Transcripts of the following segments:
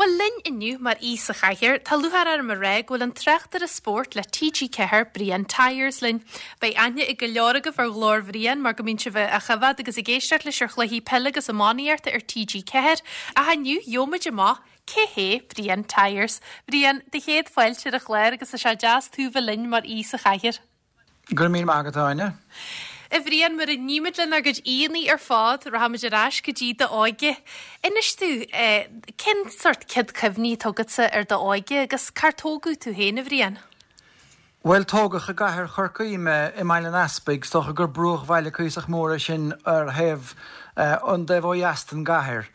Bhuel, linn inniu mar aoi sa chathaoir, tá lúcháir orm a rá go bhfuil an tráchtaire spóirt le TG4, Brian Tyers, linn. Beidh aithne ag go leor agaibh ar ghlór Bhriain mar go mbíonn sibh á choimhéad agus ag éisteacht leis ar chluichí peile agus iománaíochta ar TG4, ach inniu gheobhaimid amach cé hé Brian Tyers. Brian, do chéad fáilte ar an chlár agus tá sé deas tú bheith linn mar aoi sa chathaoir. Go raibh míle maith agat, a Áine. A Bhriain, mar a nímid lenár gcuid aíonna ar fad, rachaimid ar ais go dtí d'óige. Inis domh, cén sórt céad cuimhní atá agatsa ar d'óige agus cár tógadh tú féin, a Bhriain? Bhuel, tógadh i gcathair Chorcaí mé, i mBaile an Easpaig, is dócha gur bruachbhaile cuíosach mór é sin ar thaobh, an taobh ó dheas den gcathair.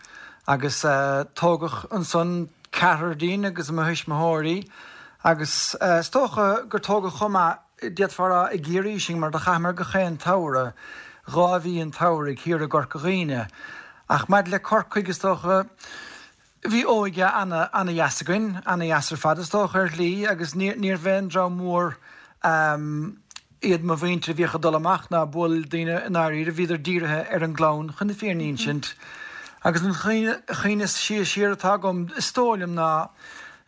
Agus tógadh ansan ceathrar dínn agus mo thuismitheoirí agus is dócha gur tógadh chomh maith, D'fhéadfá a rá i gCiarraí sinn mar do chaitheamar gach aon tsamhradh, 2 mhí an tsamhraidh, thiar i gCorca Dhuibhne. Ach maidir le Corcaigh, is dócha, bhí óige ana, ana-dheas againn, ana-dheas ar fad is dócha, ar shlí, agus níorbh aon dream mór iad mo mhuintir a bhíodh ag dul amach ná ag bualadh le daoine i ndáiríre, bhíodar dírithe ar an gclann, chun na fírinne a insint. Agus an chuimhne is sia siar atá agam, is dóigh liom, ná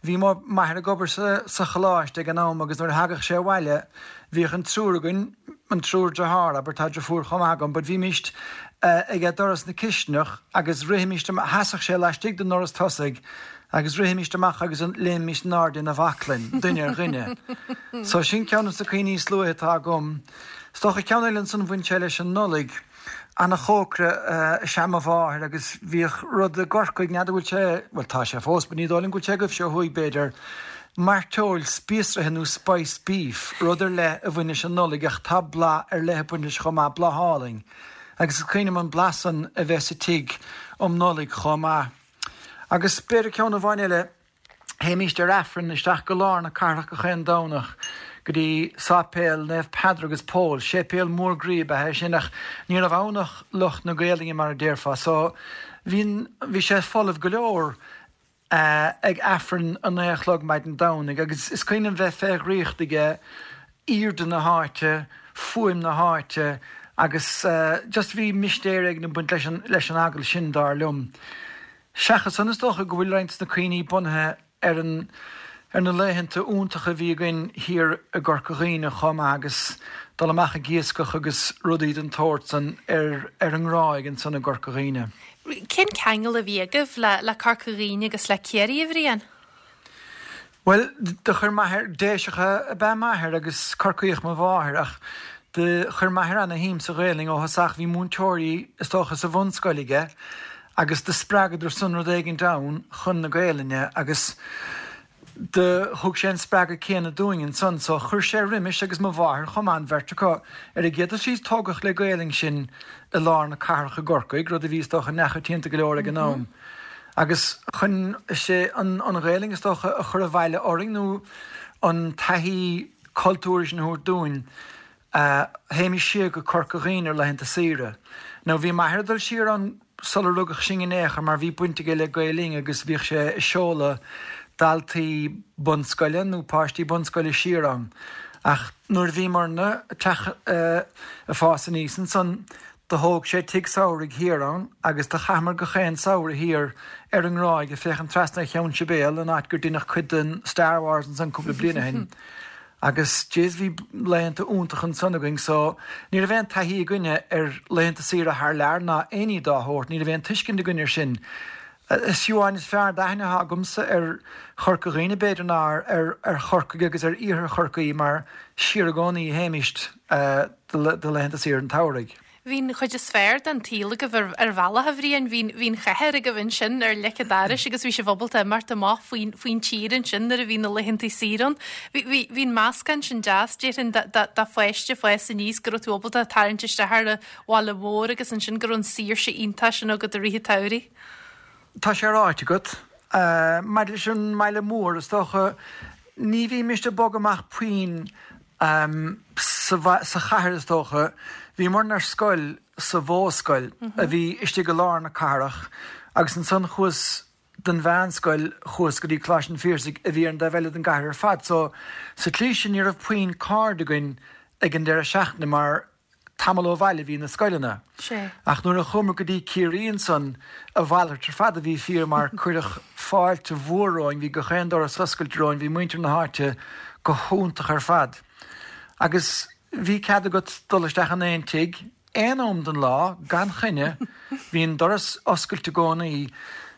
Bhí m'athair ag obair sa choláiste ag an am agus nuair a thagadh sé abhaile bhíodh an triúr againn, an triúr dearthár, abair, tá deirfiúr chomh maith agam, but bhímíst aige doras na cisteanach agus rithimíst amach, sheasadh sé laistigh den ndoras tosaigh agus rithimíst amach agus léimimíst in airde ina bhaclainn, duine ar dhuine. So sin ceann de na cuimhní is luaithe atá agam. Is dócha ceann eile ansan bhain sé leis an Nollaig. Ana-chócaire is ea mo mháthair agus bhíodh rud i gCorcaigh, n'fheadar bhfuil sé, bhuel tá sé fós but ní dóigh liom go bhfuil sé agaibhse ó thuaidh b'fhéidir, mairteoil spíosraithe nó spiced beef, rud ar leith a bhain leis an Nollaig ach tá blas ar leith ag baint leis chomh maith, blas álainn. Agus is cuimhin liom an blas san a bheith sa tigh um Nollaig chomh maith. Agus b'fhéidir ceann amháin eile, Théimíst ar Aifreann isteach go lár na cathrach gach aon Domhnach go dtí Sáipéal Naomh Peadar agus Pól. Séipéal mór groí ab ea é sin ach ní raibh ann ach lucht na Gaelainne mar a déarfá so bhí bhí sé folamh go leor ag Aifreann a 9 a chlog maidin Domhnaigh agus is cuimhin liom bheith fé dhraíocht aige aoirde na háite, fuaim na háite agus just bhí mistéir éigin ag baint leis an leis an eaglais sin dar liom. Seachas san, is dócha go bhfuil roinnt de na cuimhní bunaithe ar an ar na laethanta iontacha a bhí againn thiar i gCorca Dhuibhne chomh maith agus dul amach ag iascach agus rudaí den tsórt san ar ar an nGráig ansan i gCorca Dhuibhne. Cén ceangal a bhí agaibh le le Corca Dhuibhne agus le Ciarraí, a Bhriain? Bhuel, do chuir m'athair, Déiseach ab ea m'athair agus Corcaíoch mo mháthair, ach do chuir m'athair ana-shuim sa Ghaelainn ó thosach. Bhí múinteoirí, is dócha, sa bhunscoil aige agus do spreagadar san rud éigint ann chun na Gaelainne agus do thug sé an spreagadh céanna dúinn ansan. So chuir sé roimis agus mo mháthair chomh maith, an bheirt acu. Ar an gcéad dul síos tógadh le Gaelainn sinn i lár na cathrach i gCorcaigh, rud a bhí, is dócha, neamhchoitianta go leor ag an am. Agus chun, is é an Ghaelainn is dócha a chur abhaile orainn nó an taithí cultúrtha sin a thabhairt dúinn, théimis siar go Corca Dhuibhne ar laethanta saoire. Now bhí m'athair ag dul siar ann sular rugadh sinn in aon chor mar bhí baint aige le Gael Linn agus bhíodh sé ag seoladh daltaí bunscoile nó páistí bunscoile siar ann. Ach nuair a bhíomarna ag teacht ag fás aníos ansan, Do thóg sé tigh samhraidh thiar ann agus do chaitheamar gach aon samhradh thiar ar an nGráig ag féachaint trasna ar Cheann Sibéal, an áit gur deineadh cuid den Star Wars ansan cúpla bliain ó shin. Agus jeez bhí laethanta iontacha ansan againn so ní raibh aon taithí againne ar laethanta saoire thar lear ná aon ní dá shórt, ní raibh aon tuiscint againn ar sin. Is fiú amháin is fearr d'aithne atá agamsa ar Chorca Dhuibhne b'fhéidir ná ar Chorcaigh agus ar iarthar Chorcaí mar siar i gcónaí a théimist do laethanta saoire an tsamhraidh. Bhí an chuid is fearr den tsaol agaibh ar bhealach, a Bhriain. Bhí bhí an chathair agaibh ansin ar leic an dorais agus bhí sibh ábalta imeacht amach faoin faoin tír ansin nuair a bhí na laethanta saoire ann. Bhí bhí bhí an meascán sin deas, déarfainn, do pháiste ag fás aníos go raibh tú ábalta tarraingt isteach ar an bhaile mór agus ansin go raibh an saoirse iontach sin agat i rith an tsamhraidh. Tá sé ráite agat. Maidir leis an mbaile mór, is dócha, ní bhímist ag bogadh amach puinn sa chathair, is dócha. Bhíomarna ar scoil sa Mhodhscoil a bhí istigh i lár na cathrach agus ansan chuas don mheánscoil, chuas go dtí Coláiste an Phiarsaigh a bhí ar an dtaobh eile den gcathair ar fad. So, sa tslí sin ní raibh puinn cairde againn ag an deireadh seachtaine mar. tamall ó bhaile a bhí na scoileanna. Ach nuair a chuamar go dtí Ciarraí ansan, a mhalairt ar fad a bhí fíor mar cuireadh fáilte mhór romhainn, bhí gach aon doras oscailte romhainn, bhí muintir na háite go hiontach ar fad. Agus bhí cead agat dul isteach in aon tigh, aon am den lá, gan choinne, bhí an doras oscailte i gcónaí.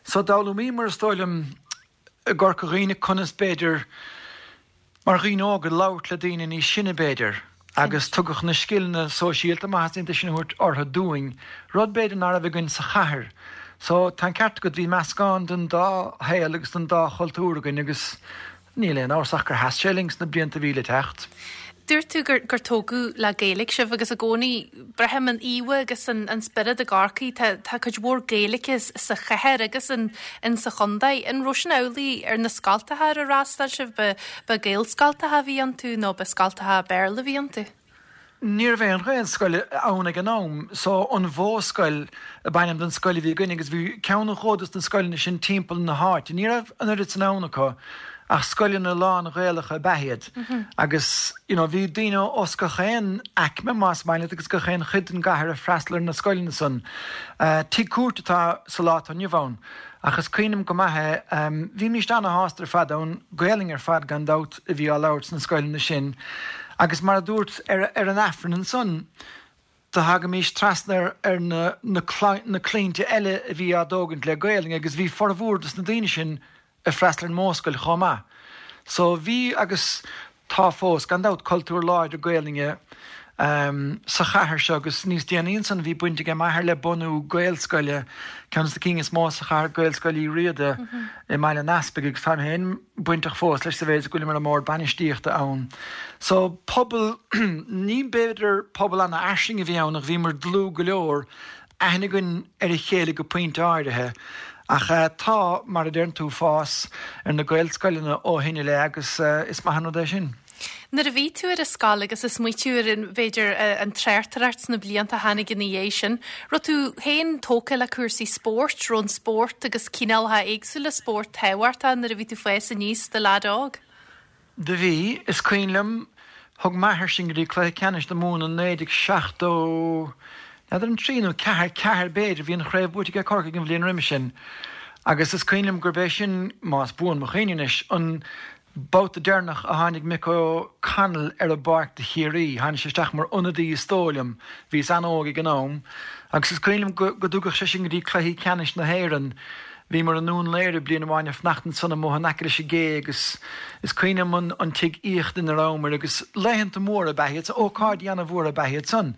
So d'fhoghlaimíomar, is dóigh liom, i gCorca Dhuibhne conas b'fhéidir, mar dhaoine óga, labhairt le daoine níos sine b'fhéidir, agus tugadh na scileanna sóisialta, más maith leat sin a thabhairt orthu, dúinn, rud b'fhéidir ná raibh againn sa chathair. So, tá an ceart agat, bhí meascán den dá shaol agus den dá chultúr againn agus Níl aon amhras ach gur sheas sé linn sna blianta a bhí le teacht. Dúirt tú gur gur tógadh le Gaeilge sibh agus i gcónaí braithim an íomha agus an an spiorad i gCorcaigh. Tá tá cuid mhór Gaeilge sa chathair agus in in sa chontae. An raibh sin amhlaidh ar na scoltacha ar ar fhreastail sibh? Ba ba Gaelscoltacha a bhí iontu nó ba scoltacha Béarla a bhí iontu? Ní raibh aon Ghaelscoil ann ag an am so an Mhodhscoil ab ainm don scoil a bhí againn agus bhí ceann nó dhó dos na scoileanna sin timpeall na háite. Ní raibh an oiread san ann acu ach scoileanna lán-Ghaelacha ab ea iad agus you know bhí daoine os gach aon aicme más maith leat agus gach aon chuid den gcathair ag freastal ar na scoileanna san. Tigh cúirte atá sa lá atá inniu ann ach is cuimhin liom go maith é. Bhímíst ana-shásta ar fad ann, Gaelainn ar fad gan dabht a bhí á labhairt sna scoileanna sin agus mar a dúrt ar an Aifreann ansan do thagaimís trasna ar na na claimhte eile a bhí á dtógaint le Gaelainn agus bhí formhór dos na daoine sin ag freastal ar an Mhodhscoil chomh maith. So bhí agus tá fós, gan dabht, cultúr láidir Gaelainne sa chathair seo agus níos déanaí ansan bhí baint aige m'athair le bunú Gaelscoile, ceann de na cinn is mó sa chathair, Gaelscoil Uí Riada i mBaile an Easpaig agus táim féin bainteach fós leis sa mhéid is go bhfuilim ar an mbord bainistíochta ann. So pobal, ní b'fhéidir pobal ana-fhairsing a bhí ann ach bhíomar dlúth go leor, aithne againn ar a chéile go pointe áirithe. Ach tá, mar a deireann tú, fás ar na Gaelscoileanna ó shin i leith agus is maith an rud é sin. Nuair a bhí tú ar an scoil agus ag smaoitiú ar an, b'fhéidir, an tráchtaireacht sna blianta a tháinig ina dhiaidh sin, raibh tú féin tógtha le cúrsaí spóirt, raibh an spórt agus cineálacha éagsúla spóirt tábhachtach nuair a bhí tú ag fás aníos i do leaid óg? Do bhí. Is cuimhin liom, thug m'athair sinn go dtí cluiche ceannais na Mumhan i 1970, n'fheadar an trí nó ceathair, ceathair b'fhéidir, bhí an chraobh buaite aige Corcaigh an bhliain roimhe sin agus is cuimhin liom gurb é sin, más buan mo chuimhne anois, an babhta deireanach a tháinig Mick O'Connell ar an bpáirc do Chiarraí. Tháinig sé isteach mar ionadaí is dóigh liom, bhíos an-óg ag an am agus is cuimhin liom go dtugadh sé sinn go dtí cluichí ceannais na hÉireann. Bhíomar i nDún Laoghaire bliain amháin ag fanacht ansan amuigh in aice leis an gcé agus is cuimhin liom an tigh aíochta ina rabhamar agus laethanta móra ab ea iad, ócáidí ana-mhór ab ea iad san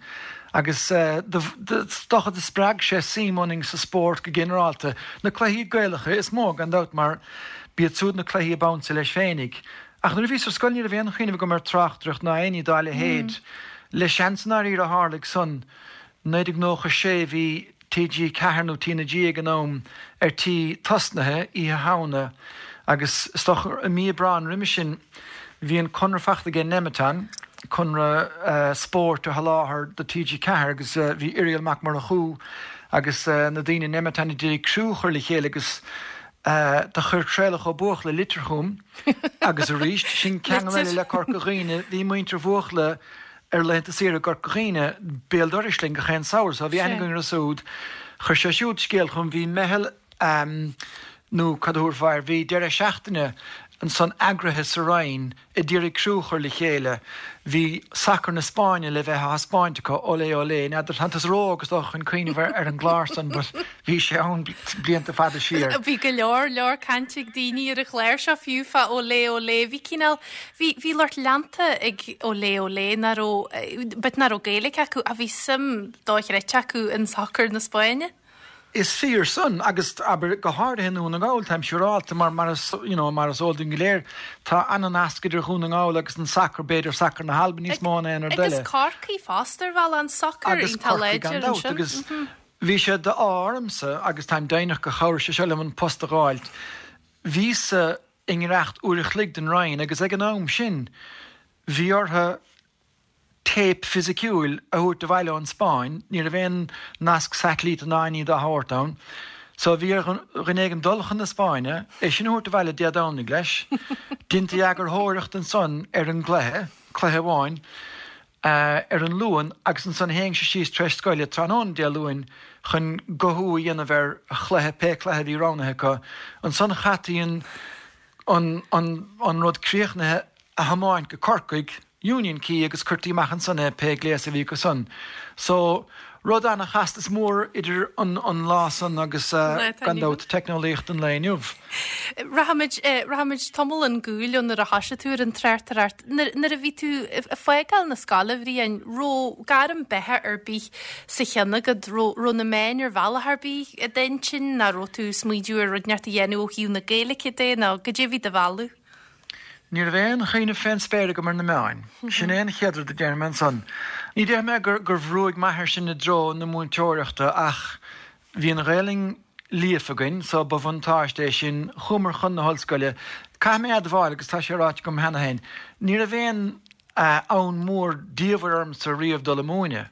agus is dócha do spreag sé suim ionainn sa spórt go ginearálta. Na cluichí Gaelacha is mó gan dabht mar b'iad siúd na cluichí ab ansa leis féinig. Ach nuair a bhíos ar scoil ní raibh aon chuimhneamh agam ar tráchtaireacht ná aon ní dá leithéid. Le seans i ndáiríre a tharlaigh san. 1996 bhí TG4 nó TnaG ag an am ar tí tosnaithe Oíche Shamhna agus is dócha i mí Aibreáin roimhe sin bhí an conradh faighte aige Nemeton, conradh spóirt a sholáthar do TG4 agus bhí Irial Mac Murchú agus na daoine i Nemeton ag iarraidh criú a chur le chéile agus do chuir Traolach Ó Buachalla litir chugam agus arís sin ceangal eile le Corca Dhuibhne, bhí muintir Bhuachalla ar laethanta saoire i gCorca Dhuibhne, béal dorais linn gach aon samhradh, so bhí aithne againn orthu siúd. Chuir sé siúd scéal chugam, bhí meitheal nó cad a thabharfá air, bhí deireadh seachtaine ansan eagraithe sa Rinn a d'iarraidh criú a chur le chéile. Bhí sacar na Spáinne le bheith á thaispeáint acu, Olé Olé, n'fheadar, tá tusa ró-óg is dócha chun cuimhneamh ar an gclár san but bhí sé ann blianta fada siar. Bhí go leor leor cainte ag daoine ar an chlár seo fiú fá Olé Olé, bhí cineál, Bhí, bhí lucht leanta ag Olé Olé nach raibh, but nach raibh Gaeilge acu ach bhí suim dochreidte acu in sacar na Spáinne. Is fíor san, agus abair, go háirithe i nDún na nGall, táim siúrálta, mar, mar is, you know, mar is eol dúinn go léir, tá an-nasc idir Dhún na nGall agus an sacar, b'fhéidir sacar na hAlban níos mó ná aon rud eile. Agus Corcaigh fosta ar bhealach, an sacar Agus iontach Corcaigh láidir gan dabht, ansin. agus bhí sé d'ádh ormsa, agus táim deimhneach gur chabhraigh sé seo liom an post a dh'fháilt, bhíos-sa i ngiorracht uair a chloig den Rinn agus ag an am sin bhí orthu téip fisiciúil a thabhairt abhaile ón Spáinn, ní raibh aon nasc satailíte ná aon ní dá shórt ann. So bhí ar dhuine éigin dul chun na Spáinne, é sin a thabhairt abhaile Dé Domhnaigh leis, deinti eagarthóireacht ansan ar an gcluiche, cluiche amháin. ar an Luan agus ansan théinnse síos tar éis scoile tráthnóna Dé Luain chun guthú a dhéanamh ar chluiche, pé cluiche a bhí roghnaithe acu. Ansan chaití an an an rud críochnaithe a thiomáint go Corcaigh, Union Quay agus cuirtí amach ansan é pé gléas a bhí acu san. So, rud ana-chasta is mór idir an an lá san agus gan dabht teicneolaíocht an lae inniu. Rachaimid, rachaimid tamall chun cúil ó nuair a thoisigh tú ar an tráchtaireacht. Nuair a bhí tú ag fágáil na scoile, a Bhriain, raibh gairm beatha ar bith sa cheann agat? Raibh na meáin ar bhealach ar bith i d'intinn nó raibh tú ag smaoineamh ar rud inteacht a dhéanamh ó thaobh na Gaeilge de nó goidé a bhí do mhealladh? Ní raibh aon chuimhneamh fén spéir agam ar na meáin. Sin é an chéad rud a déarfaidh mé ansan. Ní déarfaidh mé gur bhrúigh m'athair sinn i dtreo na múinteoireachta ach bhí an Ghaelainn líofa againn so ba bhuntáiste é sin. Chuamar chun na hollscoile. Caithfidh mé admháil, agus tá sé ráite agam cheana féin, ní raibh aon fhonn mór diamhair ormsa riamh dul ag múineadh.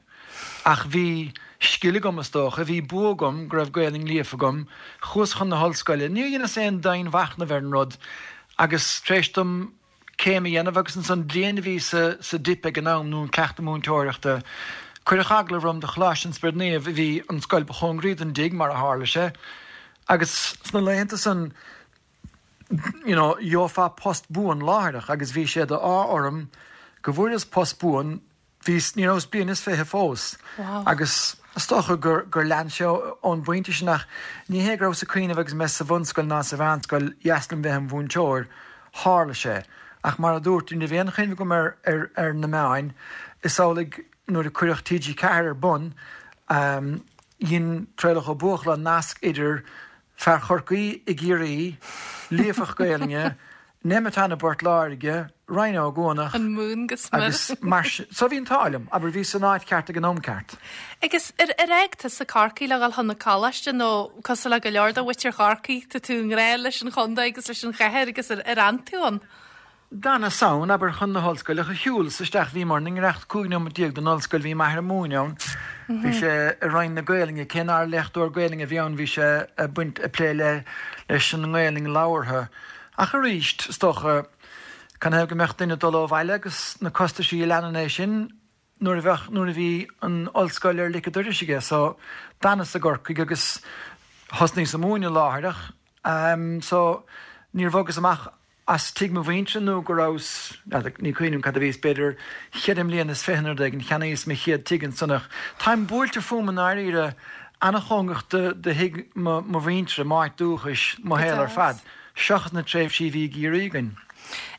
Ach bhí scil agam, is dócha. Bhí bua agam go raibh Gaelainn líofa agam. Chuas chun na hollscoile. Níor dheineas aon dianmhachnamh ar an rud agus tar éis dom céim a dhéanamh agus ansan bliain a bhí sa sa dip ag an am, nó an cleachtadh múinteoireachta, cuireadh agallamh orm do Choláiste an Spioraid Naoimh, a bhí an scoil ba chóngaraí don dtigh, mar a tharla sé. Agus sna laethanta san, you know, gheofá post buan láithreach agus bhí sé d'ádh orm go bhfuaireas post buan, Bhíos, ní rabhas bliain is 20 fós agus is dócha gur, gur lean sé ón bpointe sin ach ní hé go rabhas ag cuimhneamh agus mé sa bhunscoil ná sa mheánscoil, dheas liom bheith im mhúinteoir, tharla sé. Ach mar a dúirt, ní raibh aon chuimhne agam ar, ar, ar na meáin. Is amhlaidh nuair a cuireadh TG4 ar bun, dhein Traolach Ó Buachalla nasc idir fear Chorcaí i gCiarraí, líofacht Gaelainne, Nemeton i bPort Láirge, Ryan Ó Cuanach An mún go smior. agus mar sin. So bhí an t-ádh liom, abair, bhíos san áit cheart ag an am ceart. Agus ar ar fhág tusa Corcaigh le dhul chun na coláiste nó cosúil le go leor de mhuintir Chorcaí, tá tú i ngrá leis an chontae agus leis an chathair agus ar ar fhan tú ann? D'fhanas ann, abair, chun na hollscoile, shiúlas isteach, bhíomar i ngiorracht 15 nóiméad don ollscoil, bhí m'athair ag múineadh ann, bhí sé i Roinn na Gaelainne, cé nár léachtóir Gaelainne a bhí ann, bhí sé ag baint, ag plé le, leis an nGaelainn labhartha. Ach arís, is dócha, canathaobh go mbeadh duine ag dul ó bhaile agus na costaisí a leanann é sin, nuair a bheadh, nuair a bhí an ollscoil ar lic an dorais aige. So, d'fhanas i gCorcaigh agus thosnaíos ag múineadh láithreach. So, níor bhogas amach as tigh mo mhuintire nó go rabhas, n'fheadar, ní cuimhin liom cad a bhíos, b'fhéidir cheithre mbliana is fiche nó rud éigin, cheannaíos mo chéad tigh ansan ach táim buailte fúm i ndáiríre, ana-chóngarach do thigh mo mhuintire, m'áit dúchais, mo shaol ar fad. seachas na tréimhsí a bhí i gCiarraí againn.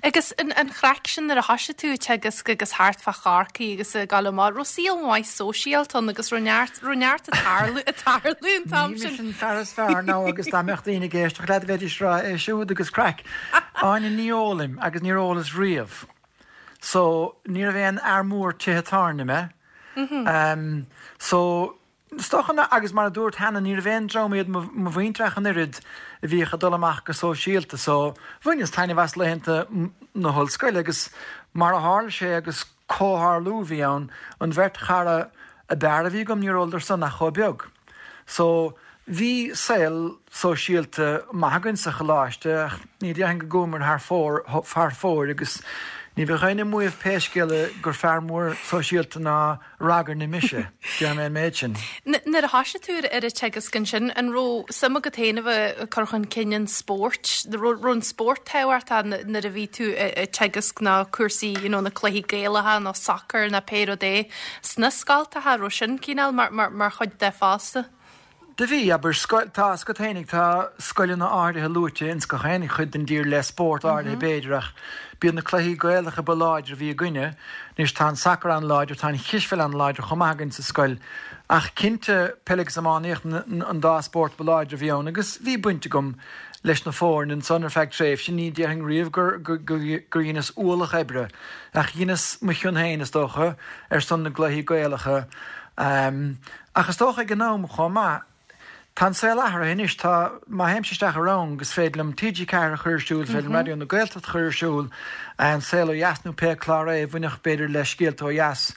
Agus an chraic sin nuair a thoisigh tú ag teagasc agus thart fá Chorcaigh agus ag gabháil amach, raibh saol maith sóisialta ann agus raibh neart, raibh neart ag tarlú, ag tarlú an t-am sin? Ní mise an fear is fearr now agus dá mbeadh daoine ag éisteacht leat bheidís ag rá é siúd agus craic. Áine, ní ólaim agus níor ólas riamh. So, ní raibh aon fhear mór tithe tábhairne mé. So, Is dócha ná, agus mar a dúrt cheana, ní raibh aon dream iad mo mhuintir ach an oiread a bhíodh ag dul amach go sóisialta so bhaineas taitneamh as laethanta na hollscoile agus mar a tharla sé agus comhtharlú a bhí ann, an bheirt chara ab fhearr a bhí agam níor óladar san ach chomh beag. So bhí saol sóisialta maith againn sa choláiste ach ní déarfainn go gcuamar thar fóir thar fóir agus ní bheadh éinne ag maíomh pé scéal é gur fear mór sóisialta ná ragairne mise, déarfaidh mé an méid sin. Nuair a thoisigh tú ar an teagasc ansin, an raibh suim agat féin a bheith ag cur chun cinn an spóirt? Raibh an spórt tábhachtach nuair a bhí tú ag teagasc nó cúrsaí you know na cluichí Gaelacha nó sacar nó pé rud é sna scoltacha, raibh sin cineál mar chuid de fosta? Do bhí, abair, scoil, tá a fhios agat fhéinig, tá scoileanna áirithe luaite ins gach aon chuid den dtír le spórt áirithe b'fhéidir ach b'iad na cluichí Gaelacha ba láidre a bhí againne. Anois tá an sacar an-láidir, tá an chispheil an-láidir chomh maith againn sa scoil ach cinnte peil agus iománaíocht an dá spórt ba láidre a bhí ann agus bhí baint agam leis na foirne ansan ar feadh tréimhse. Ní déarfainn riamh gur, gur, gur dheineas ualach oibre ach dheineas mo chion féin is dócha ar son na gcluichí Gaelacha. Ach is dócha ag an am chomh maith, tá an saol athraithe anois, tá, má théimse isteach i rang is féidir liom TG4 a chur ar siúl, is féidir liom Raidió na Gaeltachta a chur ar siúl, An Saol Ó Dheas nó pé clár é a bhainfeadh b'fhéidir le scéalta ó dheas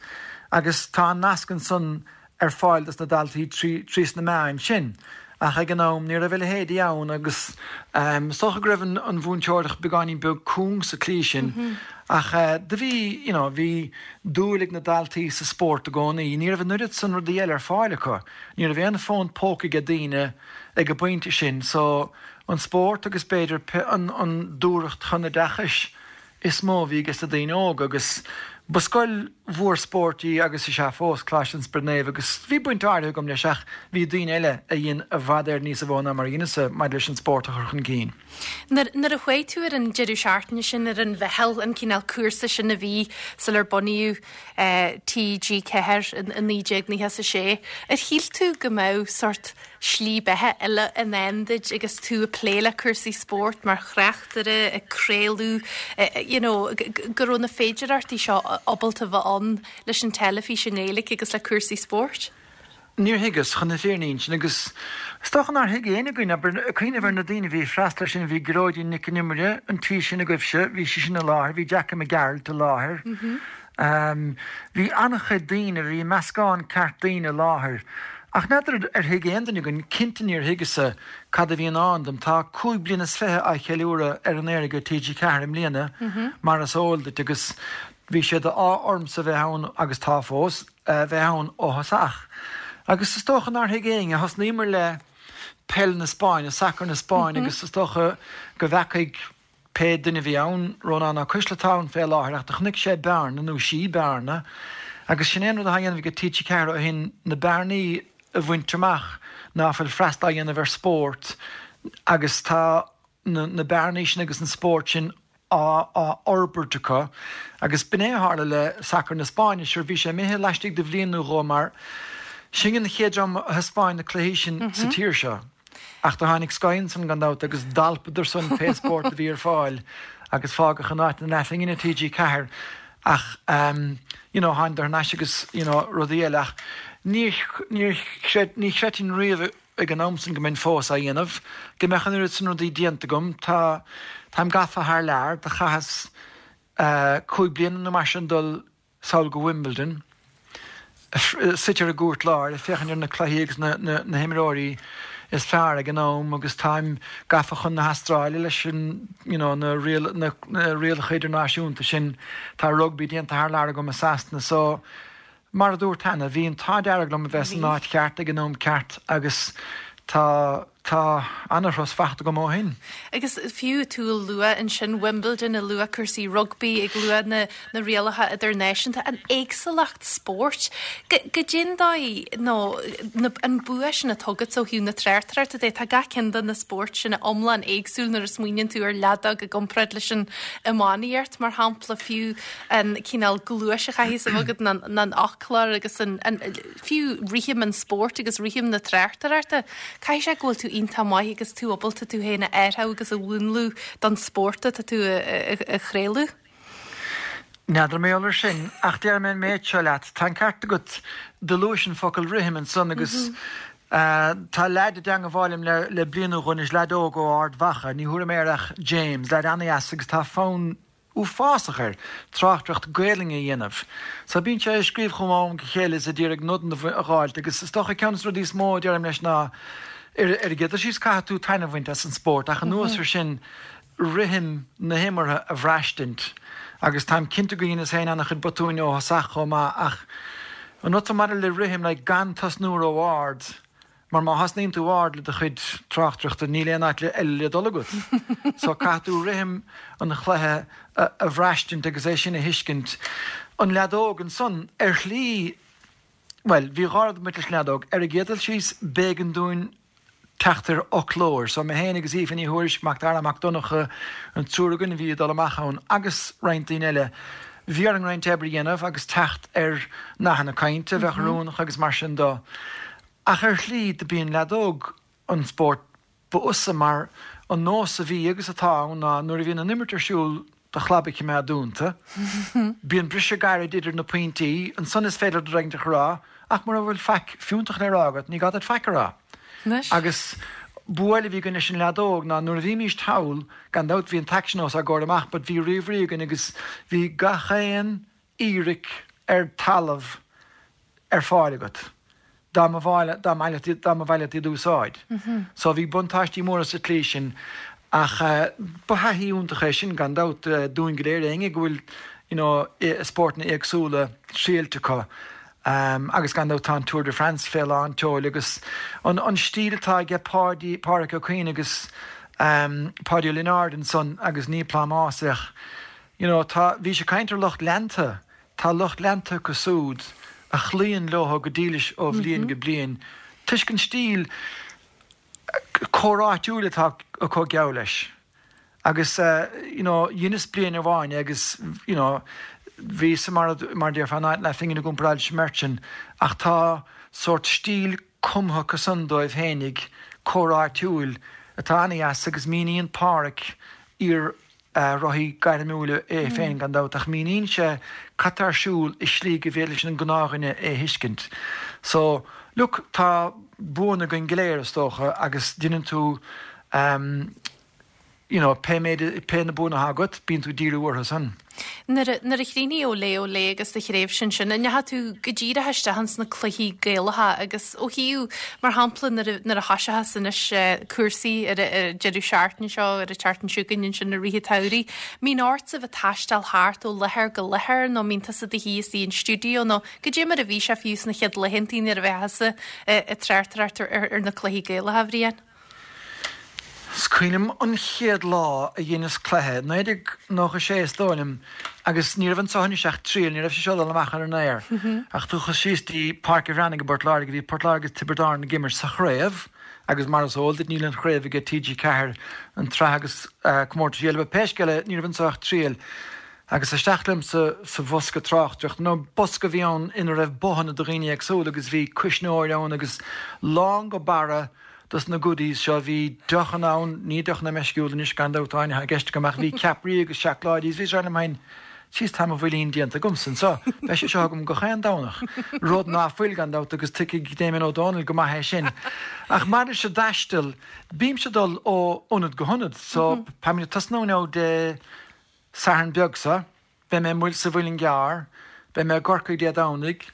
agus tá an nasc ansan ar fáil dos na daltaí trí sna meáin sin. Ach ag an am ní raibh a leithéidí ann agus is dócha go raibh an mhúinteoireacht beagáinín beag cúng sa tslí sin. Ach do bhí, you know, bhí dúil ag na daltaí sa spórt i gcónaí. Ní raibh an oiread san rudaí eile ar fáil acu. Ní raibh aon fón póca ag daoine ag an bpointe sin so an spórt agus b'fhéidir an an dúthracht chun oideachais is mó a bhí ages na daoine óga agus ba scoil mhór spóirt í agus is ea fós, Coláiste an Spioraid Naoimh agus bhí baint áirithe agam leis ach bhí daoine eile a dhein i bhfad Éireann níosa mhó ná mar a dheineas-sa maidir leis an spórt a chur chun cinn. Nuair a chuaigh tú ar an deireadh seachtaine sin ar an mheitheal, an cineál cúrsa sin a bhí sular bunaíodh TG4 in 1996, ar shíl tú go mbeadh sórt slí beatha eile i ndán duit agus tú ag plé le cúrsaí spóirt mar thráchtaire, ag craoladh, you know, go raibh na féidearthachtaí seo ábalta bheith ann leis an teilifís i nGaeilge agus le cúrsaí spóirt? Níor thuigeas, chun na fírinne a insint, agus is dócha nár thuig éinne againn, abair, ag cuimhneamh ar na daoine a bhí ag freastal air sin, bhí Gearóidín Nic an Iomaire, an tí sin agaibhse, bhí sí sin i láthair, bhí Jackie Mac Gearailt i láthair, Bhí an-chuid daoine, bhí meascán ceart daoine i láthair. Ach n'fheadar ar thuig aon duine againn, cinnte níor thuigeas-sa, cad a bhí i ndán dom. Tá 25 bliana á cheiliúradh ar an aer ag TG4 i mbliana, mar is eol duit, agus bhí sé d'ádh ormsa bheith ann, agus tá fós, bheith ann ó thosach. Agus is dócha nár thuig éinne, thosnaíomar le peil na Spáinne, sacar na Spáinne, agus is dócha go bhfeacaigh, Pé duine a bhí ann, Rónán Ó Cuisle atá ann fé láthair ach do chonaic sé bearna, nó sí bearna, agus sin é an rud atá á dhéanamh ag TG4 ó shin, na bearnaí a bhaint amach ná fuil freastal á dhéanamh ar spórt agus tá na bearnaí sin agus an spórt sin á fhorbairt acu agus b'in é a tharla le sacar na Spáinne. Sure bhí sé imithe laistigh de bhliain nó dhó mar sinne an chéad dream a thaispeáin na cluichí sin sa tír seo. Ach do tháinig Sky ansan gan dabht agus d'alpadar san pé spórt a bhí ar fáil agus fágadh in áit na leathphingine TG4 ach you know tháingadar thar n-ais agus you know rudaí eile ach níor níor chreid ní chreidfinn riamh ag an am san go mbeinn fós á dhéanamh, go mbeadh an oiread san rudaí déanta agam. Tá táim gafa thar lear, do chaitheas 5 bliana nó mar sin dul sall go Wimbledon, suite ar an gcúirt láir, ag féachaint ar na cluichí agus na himreoirí is fearr ag an am agus táim gafa chun na hAstráile leis an you know na rialacha idirnáisiúnta sin. Tá rugbaí déanta thar lear agam i Sasana so mar a dúrt cheana, bhí an t-ádh dearg liom a bheith san áit cheart ag an am ceart agus tá Tá ana-thuras fachta agam ó shin. Agus fiú tú a lua ansin Wimbledon, ag lua cúrsaí rugbaí, ag lua na na rialacha idirnáisiúnta, an éagsúlacht spóirt, goidé an dóigh nó na an bua sin atá agat ó thaobh na tráchtaireachta de, tá gach ceann de na spóirt sin iomlán éagsúil nuair a smaoiníonn tú ar leadóg i gcomparáid leis an iománaíocht mar shampla, fiú an cineál gluais a chaithfidh a bheith agat ná an fhoclóir agus an an fiú rithim an spóirt agus rithim na tráchtaireachta, caithfidh sé go bhfuil tú iontach maith agus tú ábalta tú féin a athrú agus a mhúnlú don spórt atá tú a chraoladh. N'fheadar mar gheall air sin, ach déarfaidh mé an méid seo leat, tá an ceart agat, do luais an focal rithim ansan agus tá leaid i dteangabháil liom le bliain nó dhó anois, leaid óg ó Ard Mhacha, ní thabharfaidh mé air ach James, leaid ana-dheas agus tá fonn uafásach air tráchtaireacht Gaelainne a dhéanamh. So bíonn sé ag scríobh chugam ó am go chéile is ag iarraidh nodanna a dh'fháilt agus is dócha ceann de na rudaí is mó a deirim leis ná ar ar an gcéad dul síos caithfidh tú taitneamh a bhaint as an spórt ach anuas ar sin rithim na himeartha a bhraistint agus táim cinnte go dheineas féin an-chuid botúin ó thosach chomh maith ach an rud maidir le rithim like gan tosnú ró-ard Mar má thosnaíonn tú ard le do chuid tráchtaireachta níl aon áit eile le dul agat. So caithfidh tú rithim an chluiche a bhraistint agus é sin a thuiscint. An leadóg ansan, ar shlí, bhuel, bhí dhá rud ag baint leis an leadóg. Ar an gcéad dul síos, b'éigean dúinn teacht ar fhoclóir. So mé féin agus Aoife Ní Thuairisg, Mac Dara Mac Donncha, an triúr againn a bhí ag dul amach ann agus roinnt daoine eile, bhí orainn roinnt oibre a dhéanamh agus teacht ar nathanna cainte a bheadh oiriúnach agus mar sin do. Ach ar shlí do b'í an leadóg an spórt ba fhusa mar an nós a bhí agus atá ann ná nuair a bhíonn an imirt ar siúl do chlab a chimeád dúnta. Bíonn briseadh gairid idir na pointí, ansan is féidir rud éigin a rá ach mura bhfuil faic fiúntach le rá agat ní gá duit faic a rá. Agus bua eile a bhí againn leis an leadóg ná nuair a bhímíst thall, gan dabht bhí an t-aicsean os ár gcomhair amach but bhí ríomhairí againn agus bhí gach aon fhíric ar talamh ar fáil agat dá mba mhaith leat iad a úsáid. So bhí buntáistí móra sa tslí sin. Ach ba thaithí iontach é sin gan dabht dúinn go léir, éinne go bhfuil you know spórtanna éagsúla triailte acu. Agus gan dabht tá an Tour de France fé lán tseoil agus an an stíl atá aige Páidí, Pádraic Ó Cuinn agus Páidí Ó Lionáird ansan agus ní plámás é ach you know tá, bhís ag caint ar lucht leanta, tá lucht leanta acu súd a chloíonn leo go dílis ó bhliain go bliain toisc an stíl comhráitiúil atá acu geall leis. Agus you know dheineas bliain amháin é agus you know bhíos mar mar a déarfá in áit leathphingin i gcomparáid leis an mbeirt sin ach tá sórt stíl cumtha acu san dóibh fhéinig, comhráitiúil, atá ana-dheas agus míníonn Páraic iar rothaí gairmiúil é féin gan dabht, ach míníonn sé cad tá ar siúl i slí go bhféidir leis an gnáthdhuine é a thuiscint. So, look, tá buanna againn go léir, is dócha, agus deineann tú ehm you know, pé méid, pé na buanna atá agat, bíonn tú ag díriú orthu san. Nuair a, nuair a chríochnaigh Olé Olé agus do thréimhse ansin, an ndeachaigh tú go díreach isteach ins na cluichí Gaelacha agus ó thaobh, mar shampla, nuair a, nuair a thoiseochas anois cúrsaí ar an, ar an deireadh seachtaine seo, ar an tseachtain seo chugainn ansin i rith an tsamhraidh, mbíonn ortsa bheith ag taisteal thart ó láthair go láthair nó mbíonn tusa i do shuí istigh in stiúideo nó goidé mar a bhí sé fiú sna chéad laethantaí nuair a bheifeá thusa ag tráchtaireacht ar, ar na cluichí Gaelacha, a Bhriain? Is cuimhin liom an chéad lá a dheineas cluiche, 1996 is dóigh liom, agus ní raibh anso anois ach triail, ní raibh sé seo ag dul amach ar an aer. Ach chuas síos dtí Páirc a' Bhreathnaigh i bPort Láirge, bhí Port Láirge agus Tiobraid Árann ag imirt sa chraobh agus mar is eol duit níl an chraobh aige TG4, an tsraith agus comórtais eile, but pé scéal é ní raibh anso ach triail. Agus isteach liom sa sa bhosca tráchtaireachta, nó bosca a bhí ann ina raibh bothanna do dhaoine éagsúla agus bhí cuisneoir ann agus lán go barra dos na goodies seo. Bhí deochanna ann, ní deochanna meisciúla anois gan dabht Áine atá i gceist agam, ach bhí ceapairí agus seacláidí is bhíos ag rá liom féin, Jeez tá mo bhuilín déanta agamsa anseo, beidh sé seo agam gach aon Domhnach. Rud ná fuil gan dabht agus tuigfidh Damien Ó Dónaill go maith é sin. Ach maidir leis an dtaisteal, bímse ag dul ó ionad go hionad so táimid ag tosnú now Dé Sathairn beag seo, beidh mé sa Mhuileann gCearr, beidh mé i gCorcaigh Dé Domhnaigh,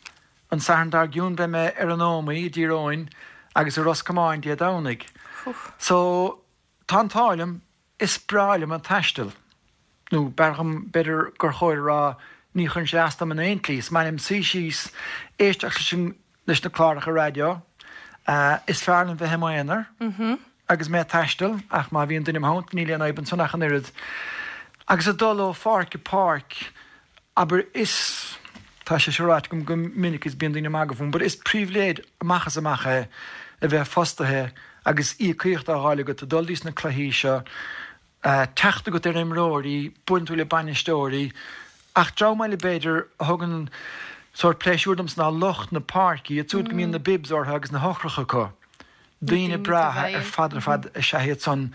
an Satharn dár gcionn beidh mé ar an Ómaigh i dTír Eoghain agus i Ros Comáin Dé Domhnaigh. So, tá an t-ádh liom, is breá liom an taisteal. Nó b'fhearr dhom, b'fhéidir gur chóir a rá, ní chuireann sé as dom in aon tslí. Is maith liom suí síos, éisteacht leis an, leis na cláracha raidió. Is fearr liom bheith i m'aonar agus mé ag taisteal, ach má bhíonn duine i mo theannta níl aon fhadhb ansan ach an oiread. Agus ag dul ó pháirc go páirc, abair, is, tá sé seo ráite agam go minic is bíonn daoine ag magadh fúm, but is pribhléid amach is amach é a bheith fostaithe agus íocaíocht á fháil agat ag dul dtís na cluichí seo, teacht agat ar imreoirí, buaileann tú le bainisteoirí, ach dream eile b'fhéidir a thugann sórt pléisiúir domsa ná lucht na páirce, iad siúd go mbíonn na bibs orthu agus na heochracha acu. Daoine breátha ar fad ar fad is ea iad san.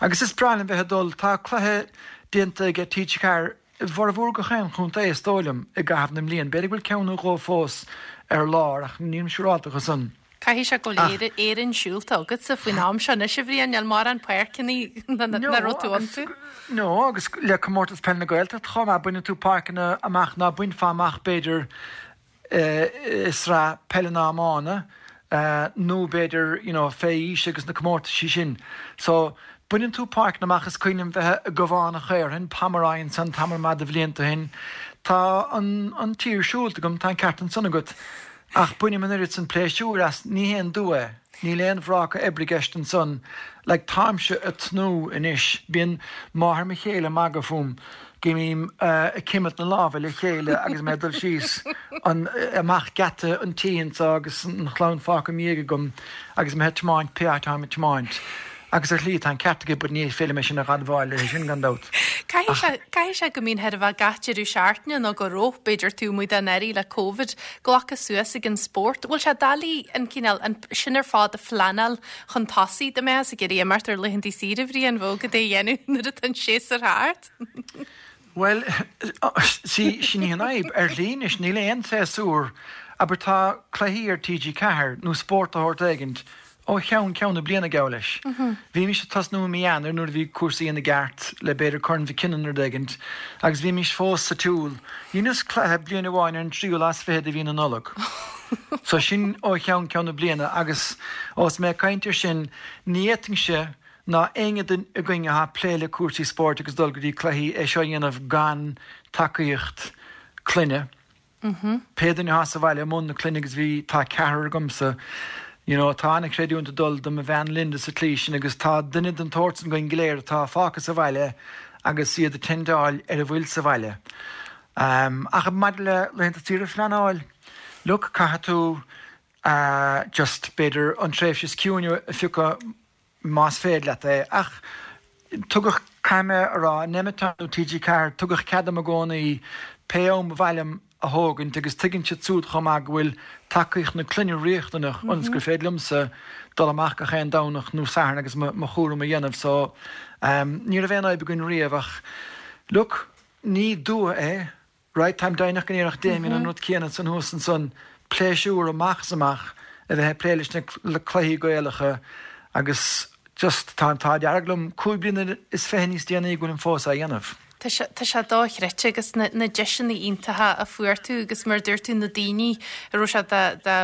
Agus is breá liom bheith ag dul, tá cluiche déanta aige TG4 i bhformhór gach aon chontae is dóigh liom i gcaitheamh na mblian. B'fhéidir go bhfuil ceann nó dhó fós ar lár ach nílim siúrálta dhe san. Caithfidh sé go bhfuil Éire, Éirinn siúlta agatsa faoin am seo anois, a Bhriain, níl mórán páirceanna nach raibh tú iontu. No, agus le Comórtas Peile na Gaeltachta chomh maith, baineann tú páirceanna amach ná bainfeá amach b'fhéidir i sraith peile na iomána nó b'fhéidir you know fé aois agus na comórtaisí sin. So, baineann tú páirceanna amach, is cuimhin liom bheith i gCabhán an Chaorthainn, Pomeroy ansan tamall maith de bhlianta ó shin. Tá an an tír siúlta agam, tá an ceart ansan agat. Ach bainim an oiread san pléisiúir as, ní haon dua é. Níl aon bhráca oibre i gceist ansan. Like, táimse ag tnúth anois. Bíonn máthair mo chéile ag magadh fúm go mbím ag cimilt na lámha le chéile agus mé ag dul síos an, amach geata an tí anso agus an chlann fágtha i mo dhiaidh agam agus mé ag tiomáint pé áit atáim ag tiomáint. Agus ar shlí tá an ceart aici but ní féidir liom é sin a dh'admháil léi sin gan dabht. Caithfidh sé, caithfidh sé go mbíonn chóir a bheith gach deireadh seachtaine nó go raibh, b'fhéidir taobh amuigh den earraigh le Covid, glactha suas ag an spórt. Bhfuil sé doiligh an cineál, an, sin ar fad a phleanáil chun tosaigh dá mbeifeá ag iarraidh imeacht ar laethanta saoire, a Bhriain, bheadh cad é a dhéanamh nuair atá an séasúr thart? Bhuel, see, sin í an fhadhb. Ar shlí anois níl aon tséasúr, abair tá cluichí ar TG4 nó spórt de shórt éigint ó cheann ceann na bliana, geall leis. Bhímis ag tosnú i mí Eanáir nuair a bhí cúrsaí ina gceart le b'fhéidir Corn Mhic Cionnaith nó rud éigint agus bhímis fós sa tsiúl. Dheineas cluiche bliain amháin ar an tríú lá is fiche de mhí na Nollag. So sin ó cheann ceann na bliana agus ós mé ag caint ar sin, ní fhéadfainnse. ná éinne againn atá ag plé le cúrsaí spóirt agus dul go dtí cluichí é seo a dhéanamh gan tacaíocht clainne. Pé duine atá sa bhaile i mbun na clainne agus bhí, tá ceathrar agamsa, you know, tá an-chreidiúint ag dul do mo bhean Linda sa tslí sin agus tá duine den tsórt san againn go léir atá fágtha sa bhaile agus iad ag tendáil ar a bhfuil sa bhaile. Ach maidir le laethanta saoire a phleanáil, look, caithfidh tú just, b'fhéidir, an tréimhse is ciúine a phiocadh más féidir leat é. Ach tugadh, caithfidh mé a rá, in Nemeton nó TG4, tugadh cead dom i gcónaí pé am ba mhaith liom a thógaint agus tuigeann siad súd chomh maith go bhfuil tacaíocht na clainne riachtanach ionas gur féidir liomsa dul amach gach aon Domhnach nó Satharn agus mo chúram a dhéanamh. So, ní raibh aon fhadhb againn riamh ach, look, ní dua é. Right, táim deimhneach go ndéarfadh Damien an rud céanna ansan thuas ansan, pléisiúr amach is amach a bheith ag plé leis na cluichí Gaelacha agus just tá an t-ádh dearg liom 25 bliana níos déanaí go bhfuilim fós á dhéanamh. Tá sé, tá sé dochreidte agus na, na deiseanna iontacha a fuair tú agus mar a dúirt tú na daoine a raibh sé de, de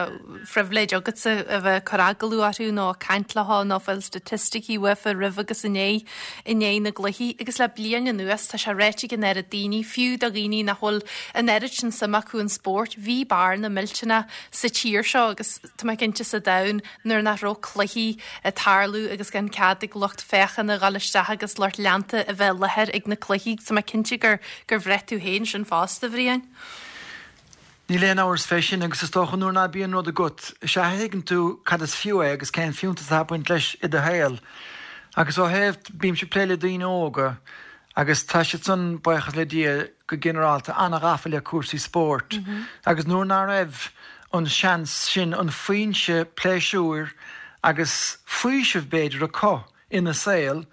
phribhléid agatsa a bheith ag cur agallamh orthu nó ag caint leo nó fáil staitisticí uafa roimh agus i ndiaidh i ndiaidh na gcluichí agus le bliain anuas tá sé ráite ag an oiread daoine, fiú do dhaoine nach bhfuil an oiread sin suim acu in spórt, bhí bearna millteanach sa tír seo agus tá mé cinnte sa domhan nuair nach raibh cluichí ag tarlú agus gan cead ag lucht féachana dhul isteach agus lucht leanta a bheith i láthair ag na cluichí. Tá mé cinnte gur gur bhraith tú féin sin fosta, a Bhriain. Níl aon amhras fé sin agus is dócha nuair ná bíonn rud agat, is ea a thuigeann tú cad is fiú é agus cén fiúntas atá ag baint leis i do shaol. Agus ó thaobh, bímse ag plé le daoine óga agus tá siad san, buíochas le Dia, go ginearálta an-ghafa le cúrsaí spóirt agus nuair ná raibh an seans sin, an foinse pléisiúir agus faoisimh b'fhéidir acu ina saol,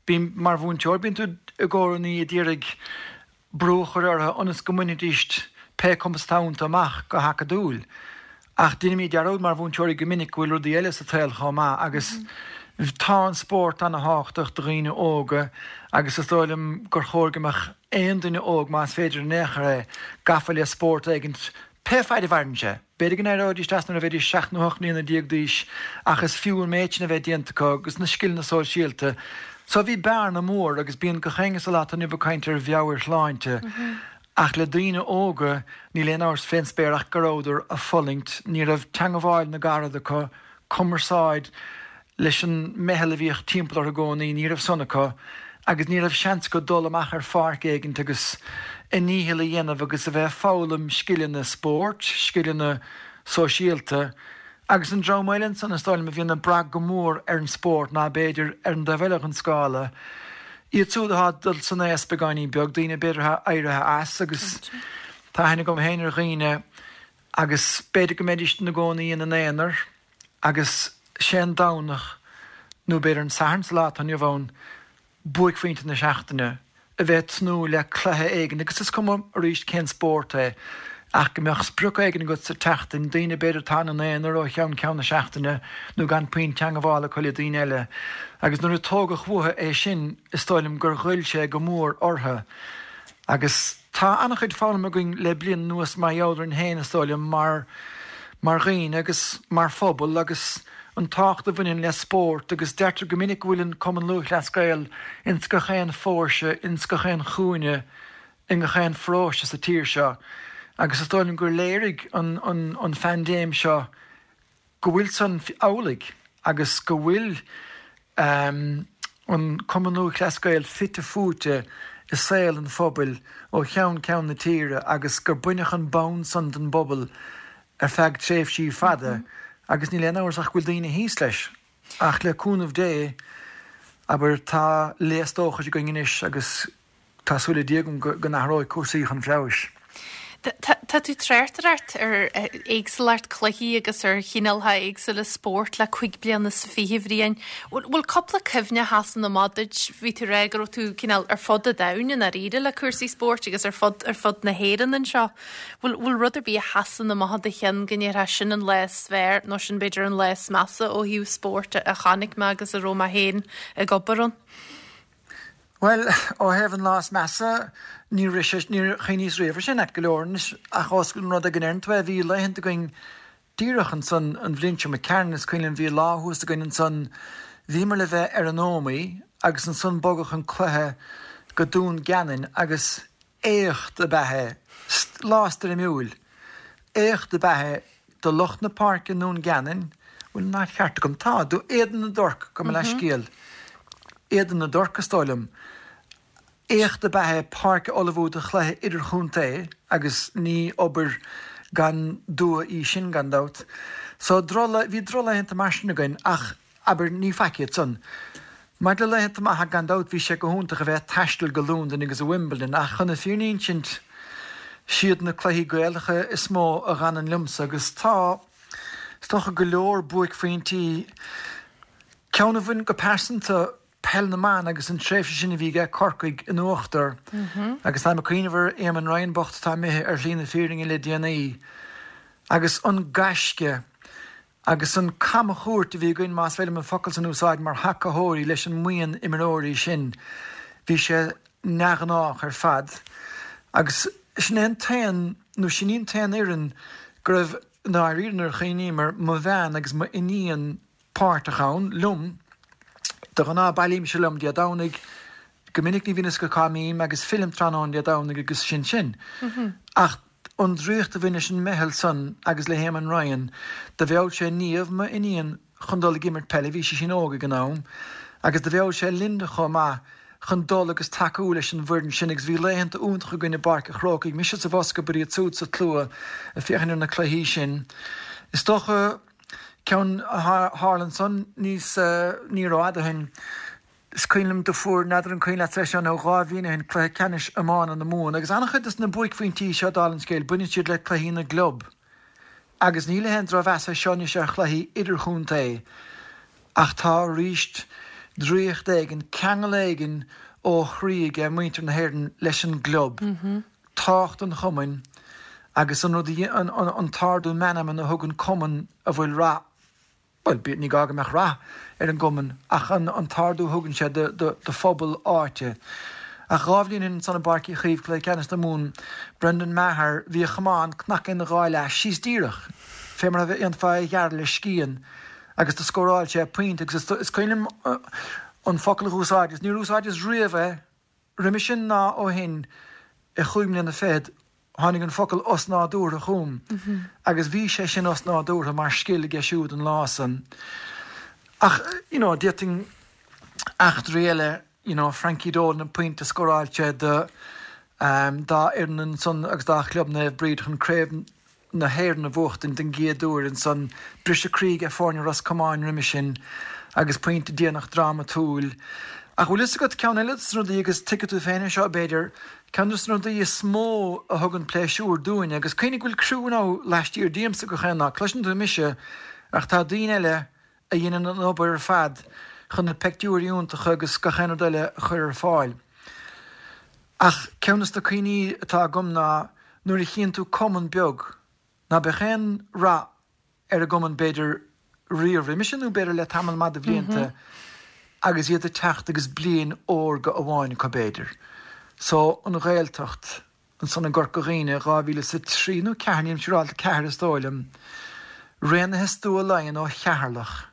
bím, mar mhúinteoir, bíonn tú i gcónaí ag iarraidh brú a chur orthu ionas go mbainfidíst pé cumas atá iontu amach go hacadúil. Ach deinimid dearúd mar mhúinteoirí go minic go bhfuil rudaí eile sa tsaol chomh maith agus tá an spórt ana-thábhachtach do dhaoine óga agus is dóigh liom gur chóir go mbeadh aon duine óg, más féidir in aon chor é, gafa le spórt éigint Pé faid a mhaireann sé. B'fhéidir go n-éireoidís as nuair a bheidís 7 nó 8 mbliana d'aois ach is fiú an méid sin a bheith déanta acu agus na scileanna sóisialta. So bhí bearna mór agus bíonn gach éinne sa lá atá inniu ag caint ar mheabhairshláinte ach le daoine óga níl aon amhras fén spéir ach go rabhadar a' fulaingt, ní raibh teangabháil na gcarad acu, cumarsáid leis an meitheal a bhíodh timpeall orthu i gcónaí, ní raibh san acu agus ní raibh seans acu dul amach ar pháirc éigint agus a ndícheall a dhéanamh agus a bheith ag foghlaim scileanna spóirt, scileanna sóisialta. Agus an dream eile ansan, is dóigh liom, a bhíonn ag brath go mór ar an spórt ná b'fhéidir ar an dtaobh eile den scála, iad siúd atá ag dul san aos beagáinín beag, daoine b'fhéidir atá éirithe as agus tá aithne agam féin ar dhaoine agus b'fhéidir go mbeidís ina gcónaí ina n-aonar agus sé an Domhnach, nó b'fhéidir an Satharn sa lá atá inniu ann, buaicphointe na seachtaine, a bheith ag tnúth le cluiche éigin, agus is cuma arís cén spórt é, ach go mbeadh sprioc éigin agat sa tseachtain, daoine b'fhéidir atá ina n-aonar ó cheann ceann na seachtaine nó gan puinn teangabhála acu le daoine eile. Agus nuair a tógadh uathu é sin, is dóigh liom gur ghoill sé go mór orthu. Agus tá an-chuid foghlamtha againn le bliain anuas mar gheall orainn féin, is dóigh liom, mar mar dhaoine agus mar phobal agus an tábhacht a bhaineann le spórt agus deirtear go minic go bhfuil an Cumann Lúthchleas Gael ins gach aon phóirse, ins gach aon chúinne, i ngach aon pharóiste sa tír seo agus is dóigh liom gur léirigh an an an phaindéim seo go bhfuil san amhlaidh agus go bhfuil an Cumann Lúthchleas Gael fite fuaite i saol an phobail ó cheann ceann na tíre agus gur baineadh an bonn san den bpobal ar feadh tréimhsí fada agus níl aon amhras ach go bhfuil daoine thíos leis. Ach le cúnamh Dé, abair, tá léas dóchais againn anois agus Tá súil le Dia agam go n-athróidh cúrsaí chun feabhais. Tá tú ag tráchtaireacht ar éagsúlacht cluichí agus ar chineálcha éagsúla spóirt le 25 bliana, a Bhriain. Bhfuil cúpla cuimhne a sheasann amach duit? Bhí tú ag rá go raibh tú cineál ar fud an domhain i ndáiríre le cúrsaí spóirt agus ar fud ar fud na hÉireann anseo. Bhfuil bhfuil rud ar bith a sheasann amach i do cheann go ndéarfá sin an lá is fearr nó sin b'fhéidir an lá is measa ó thaobh spóirt a chonaic mé agus a raibh mé féin ag obair ann? Bhuel, ó thaobh an lá is measa, níor rith sé, níor chuimhníos riamh air sin, ait go leor anois, ach ós an rud é go ndeireann tú é, bhí laethanta againn díreach ansan an bhliain seo imigh tharainn, is cuimhin liom, bhí lá thuas againn ansan, Bhíomar le bheith ar an Ómaigh agus ansan bogadh an cluiche go Dún Geanainn agus éacht ab ea é, lá stoirmiúil. Éacht ab ea é do lucht na páirce i nDún Geanainn, bhfuil an áit cheart agam? Tá, do Éadan na dTorc, gabh mo leithscéal, Éadan na dTorc is dóigh liom. Éacht ab ea é páirc a ullmhú do chluiche idirchontae agus ní obair gan dua í sin, gan dabht. So, droch, bhí drochlaethanta mar sin againn ach, abair, ní faic iad san. Maidir le laethanta maithe, gan dabht, bhí sé go hiontach a bheith ag taisteal go Londain agus Wimbledon ach chun na fírinne a insint, siad na cluichí Gaelacha is mó a dh'fhanann liomsa agus tá, is dócha, go leor buaicphointí. Ceann a bhain go pearsanta Peil na mBan agus an tréimhse sin a bhí aige Corcaigh in uachtar agus táim ag cuimhneamh ar Éamonn Ryan bocht atá imithe ar shlí na fírinne le déanaí agus an gaisce agus an camchuairt a bhí againn, más féidir liom an focal san a úsáid, mar thacaitheoirí leis an mbuíon imreoirí sin, bhí sé neamhghnách ar fad agus sin é an t-aon, nó sin í an t-aon fhoireann go raibh, i ndáiríre nuair a chuimhním air, mo bhean agus m'iníon páirteach ann liom. De ghnáth bailímse liom Dé Domhnaigh, go minic ní bhíonn a fhios acu cá mbím agus fillim tráthnóna Dé Domhnaigh agus sin sin. Ach an draíocht a bhain leis an meitheal san agus le hÉamonn Ryan, do mheall sé Niamh, m'iníon, chun dul ag imirt peile, bhí sí sin óg ag an am, agus do mheall sé Linda chomh maith chun dul agus tacú leis an bhfoireann sin agus bhí laethanta iontacha againn i bPáirc a' Chrócaigh, mise sa bhosca but iad siúd sa tslua ag féachaint ar na cluichí sin. Is dócha. Ceann a tharla ansan níos, ní rófhada ó shin, is cuimhin liom do fuair, n'fheadar an cuimhin leatsa é seo nó 2 bhliain ó shin, cluiche ceannais iomána na Mumhan agus an-chuid dos na buaicphointí seo dála an scéil, baineann siad le cluichí na gclub agus ní le haon drochmheas é seo anois ar chluichí idirchontae ach tá arís draíocht éigin, ceangal éigin ó chroí aige muintir na hÉireann leis an gclub. Tábhacht an chumainn agus an rud a, an t-ardú meanman a thugann cumann a bhfuil rath, bhuel, ní gá go mbeadh rath ar an gcumann ach an t-ardú a thugann sé do phobal áite. Ach 2 bhliain ó shin ansan i bPáirc Uí Chaoimh, Cluiche Ceannais na Mumhan, Brendan Maher, bhí a chamán cnagtha ina dhá leath síos díreach fé mar a dhéanfá é a ghearradh le scian agus do scóráil sé pointe agus is cuimhin liom an focal a dh'úsáideas, níor úsáideas riamh é, Roimhe sin ná ó shin, i chúig mbliana fichead, tháinig an focal osnádúrtha chugam agus bhí sé sin osnádúrtha mar scil aige siúd an lá san. Ach, you know, d'fhéadfainn eachtraí eile, you know, Frankie Dolan, an pointe a scóráil sé do, dá fhoireann ansan agus dá chlub Naomh Bríd chun craobh na hÉireann a bhuachtaint den gcéad uair ansan. Briseadh croí aige foirne Ros Comáin roimhe sin agus pointe déanach drámatúil. Ach bhfuil fhios agat, ceann eile dos na rudaí, agus tuigfidh tú féin é seo b'fhéidir, ceann dos na rudaí is mó a thugann pléisiúr dúinne, agus cuimhnigh go bhfuil criú now laistiar díomsa gach aon lá, cloiseann tú mise ach tá daoine eile a dhéanann an obair ar fad chun na peictiúirí iontacha agus gach aon rud eile a chur ar fáil. Ach ceann dos na cuimhní atá agam ná nuair a chíonn tú cumann beag, ná beadh aon rath ar an gcumann b'fhéidir riamh roimhe sin nó b'fhéidir le tamall maith de bhlianta agus iad ag teacht agus bliain órga amháin acu b'fhéidir. So, an Ghaeltacht ansan i gCorca Dhuibhne, 2003 nó 4, nílim siúráilte, 4 is dóigh liom, Raonaithe Stua Laighean ó Cheatharlach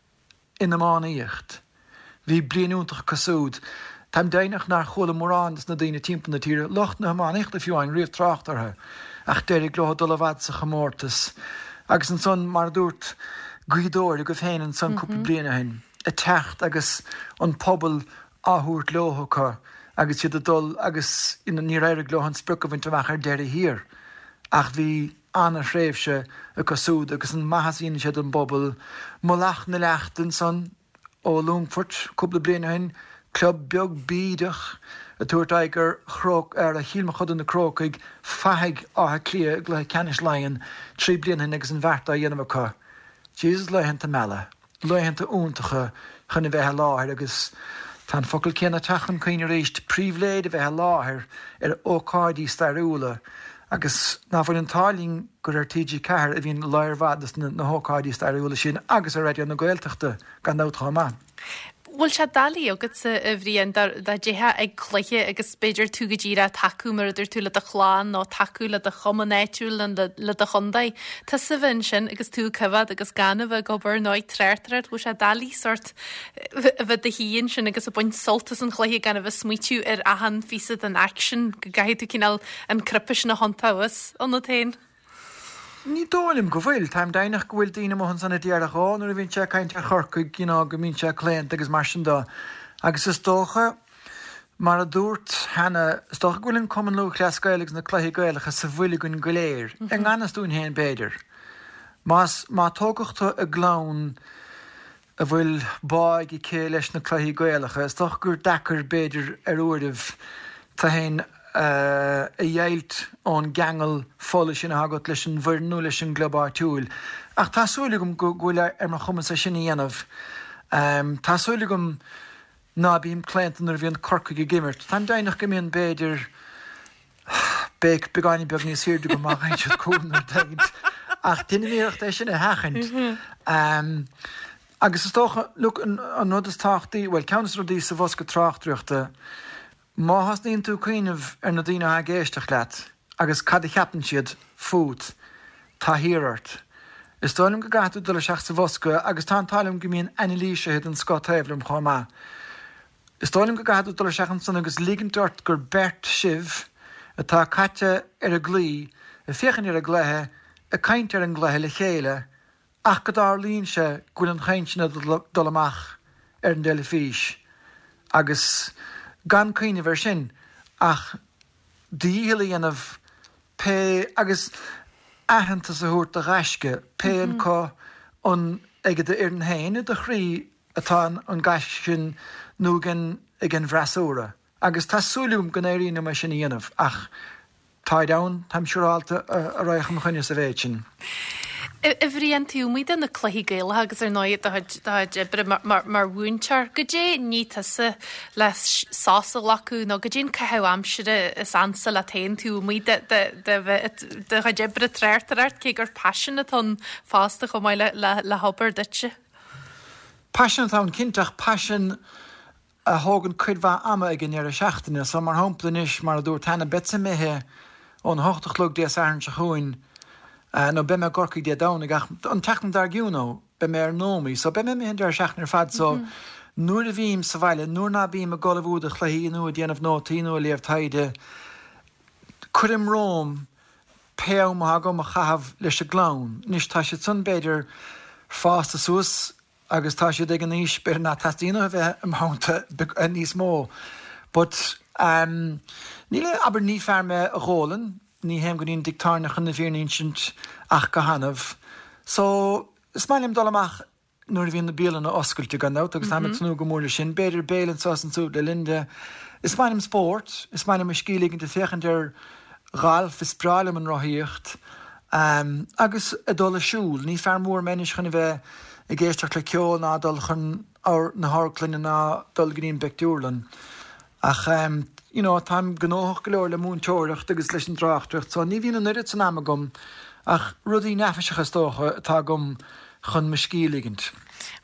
in iománaíocht. Bhí bliain iontach acu súd. Táim deimhneach nár chuala mórán des na daoine timpeall na tíre, lucht na hiománaíochta fiú amháin, riamh trácht orthu, ach d'éirigh leo dul i bhfad sa chomórtas. Agus ansan, mar a dúirt Gaoth Dobhair agaibh féin ansan cúpla bliain ó shin, ag teacht agus an pobal á thabhairt leo acu agus iad ag dul agus níor éirigh leo an sprioc a bhaint amach ar deireadh thiar ach bhí ana-thréimhse acu súd agus an maitheas a dhéanann sé don bpobal. Mullach na Leachta ansan ó Longfort cúpla bliain ó shin, club beag bídeach ag tabhairt aghaidh ar Chróc, ar Chill Mochuda na Crócaigh, Fathaigh Átha Cliath i gcluiche ceannais Laighean 3 bliana ó shin agus an bheart á dhéanamh acu. Jesus laethanta meala. Laethanta iontacha chun a bheith i láthair agus tá an focal céanna ag teacht chun cuimhne arís, pribhléid a bheith i láthair ar ócáidí stairiúla agus ná fuil an t-ádh linn gur ar TG4 a bhíonn lear mhaith de na hócáidí stairiúla sin agus ar Raidió na Gaeltachta gan dabht chomh maith. Bhfuil sé doiligh agatsa, a Bhriain, dá dtéifeá ag cluiche agus b'fhéidir tú go díreach ag tacú mar a dúirt tú le do chlann nó tacú le do chumann áitiúil nó le do chontae, tusa a bheith ansin agus tú ag coimhéad agus gan a bheith ag obair nó ag tráchtaireacht, bhfuil sé doiligh sórt a bheith i do shuí ansin agus ag baint sult as an chluiche gan a bheith ag smaoitiú ar achan phíosa den aicsean go gcaithfidh tú cineál an cnaipe sin a thiontú abhus ionat féin? Ní dóigh liom go bhfuil. Táim deimhneach go bhfuil daoine amuigh ansan a déarfadh, ó, nuair a bhíonn sé ag caint ar Chorcaigh, you know, go mbíonn sé claonta agus mar sin de. Agus is dócha, mar a dúrt cheana, is dócha go bhfuil an Cumann Lúthchleas Gael agus na cluichí Gaelacha sa bhfuil againn go léir, i ngan fhios dúinn féin b'fhéidir. Más, má tógadh tú i gclann a bhfuil bá ag aici leis na cluichí Gaelacha. Is dócha gur deacair, b'fhéidir, ar uairibh, tú féin a dheighilt ón gceangal fola sin atá agat leis an bhfoireann nó leis an gclub áitiúil. Ach tá súil agam go bhfuil ar mo chumas é sin a dhéanamh. Tá súil agam ná bím claonta nuair a bhíonn Corcaigh ag imirt. Táim deimhneach go mbíonn, b'fhéidir, béic beagáinín beag níos airde agam má fhaigheann siad cúl nó rud éigint. Ach déanaim iarracht é sin a sheachaint. Agus is dócha, look, an rud is tábhachtaí, bhuel, ceann de na rudaí sa bhosca tráchtaireachta, má thosnaíonn tú ag cuimhneamh ar na daoine atá ag éisteacht leat agus cad a cheapann siad fút, tá thiar ort. Is dóigh liom go gcaithfidh tú dul isteach sa bhosca agus tá an t-ádh liom go mbíonn anailísithe den scoth taobh liom chomh maith. Is dóigh liom go gcaithfidh tú dul isteach ansan agus ligint ort gur beirt sibh atá caite ar an gclaí, ag féachaint ar an gcluiche, ag caint ar an gcluiche le chéile ach go dtarlaíonn sé go bhfuil an chaint sin ag dul amach ar an dteilifís agus gan cuimhneamh air sin ach do dhícheall a dhéanamh pé agus aitheantas a thabhairt do ghaisce, pé acu an ag d'fhoireann féin i do chroí atá an gaisce sin nó ag an ag an bhfreasúra. Agus tá súil agam go n-éiríonn liom é sin a dhéanamh ach táid ann, táim siúrálta, a raghadh i mo choinne sa mhéid sin. A Bhriain, taobh amuigh de na cluichí Gaelacha agus ar ndóigh do chuid oibre mar mhúinteoir, goidé an ní tusa le sos a ghlacadh nó goidé an caitheamh aimsire is ansa leat féin taobh amuigh de do chuid oibre tráchtaireacht, cé gur paisean atá ann fosta chomh maith le hobair duitse? Paisean atá ann cinnte ach paisean a thógann cuid mhaith ama ag an ndeireadh seachtaine. So mar shampla anois, mar a dúrt cheana, beadsa imithe ón hocht a chlog Dé Sathairn seo chugainn, nó beidh mé i gCorcaigh Dé Domhnaigh ach an tseachtain dár gcionn ó, beidh mé ar Nómaí. So beidh mé imithe an deireadh seachtaine ar fad so nuair a bhím sa bhaile, nuair ná bím ag ullmhú do chluichí nó ag déanamh nótaí nó ag léamh taighde, cuirim romham pé am atá agam a chaitheamh leis an gclann. Anois tá siad san b'fhéidir fásta suas agus tá siad ag an aois b'fhéidir nach teastaíonn uathu bheith i mo theannta níos mó. But ehm níl a, abair ní fear mé a dh'ólann, ní théim go dtí an dtigh tábhairne chun na fírinne a insint ach go hannamh. So is maith liom dul amach nuair a bhíonn na bialanna oscailte, gan dabht, agus táim ag tnúth go mór leis sin. B'fhéidir béile anseo is ansúd le Linda. Is maith liom spórt, is maith liom mo scíth a ligint ag féachaint ar ghalf, is breá liom an rothaíocht, agus ag dul ag siúl. Ní fear mór mé anois chun a bheith ag éisteacht le ceol ná dul chun na hamharclainne ná dul go dtí an bpictiúrlann. Ach you know táim gnóthach go leor le múinteoireacht agus leis an dtráchtaireacht so ní bhíonn an oiread san ama agam ach rudaí neafaiseacha is dócha atá agam chun mo scíth a ligint.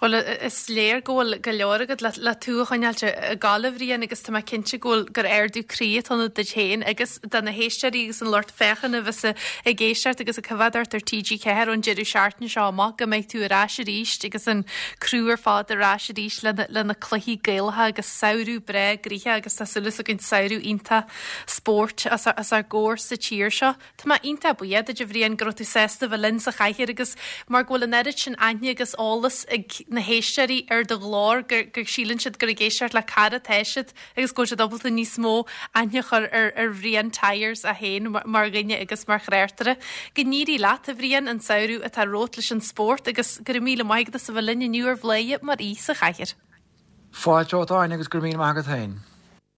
Bhuel, is léir go bhfuil go leor agat le tú a choinneáilt ag gabháil, a Bhriain, agus tá mé cinnte go bhfuil gur ardú croí atá ann duit féin agus do na héisteoirí agus an lucht féachana a bheas ag éisteacht agus ag coimhéad ort ar TG4 ón deireadh seachtaine seo amach go mbeidh tú ar ais arís agus an criú ar fad ar ais arís le na cluichí Gaelacha agus samhradh breá gnoitheach agus tá súil againn samhradh iontach spóirt os ár gcomhair sa tír seo. Tá mé iontach buíoch duit a Bhriain go raibh tú sásta bheith linn sa chathaoir agus mar go bhfuil an oiread sin aithne agus eolas ag na héisteoirí ar do ghlór gur go síleann siad gur ag éisteacht le cara atá siad agus go bhfuil siad ábalta níos mó aithne a chur ar ar Bhrian Tyers é féin mar dhuine agus mar thráchtaire. Go n-éirí leat a Bhriain an samhradh atá romhat leis an spórt agus go raibh míle maith agat as a bheith linn inniu ar Bhladhaire mar aoi sa chathaoir. Fáilte romhat Áine agus go raibh míle maith agat féin.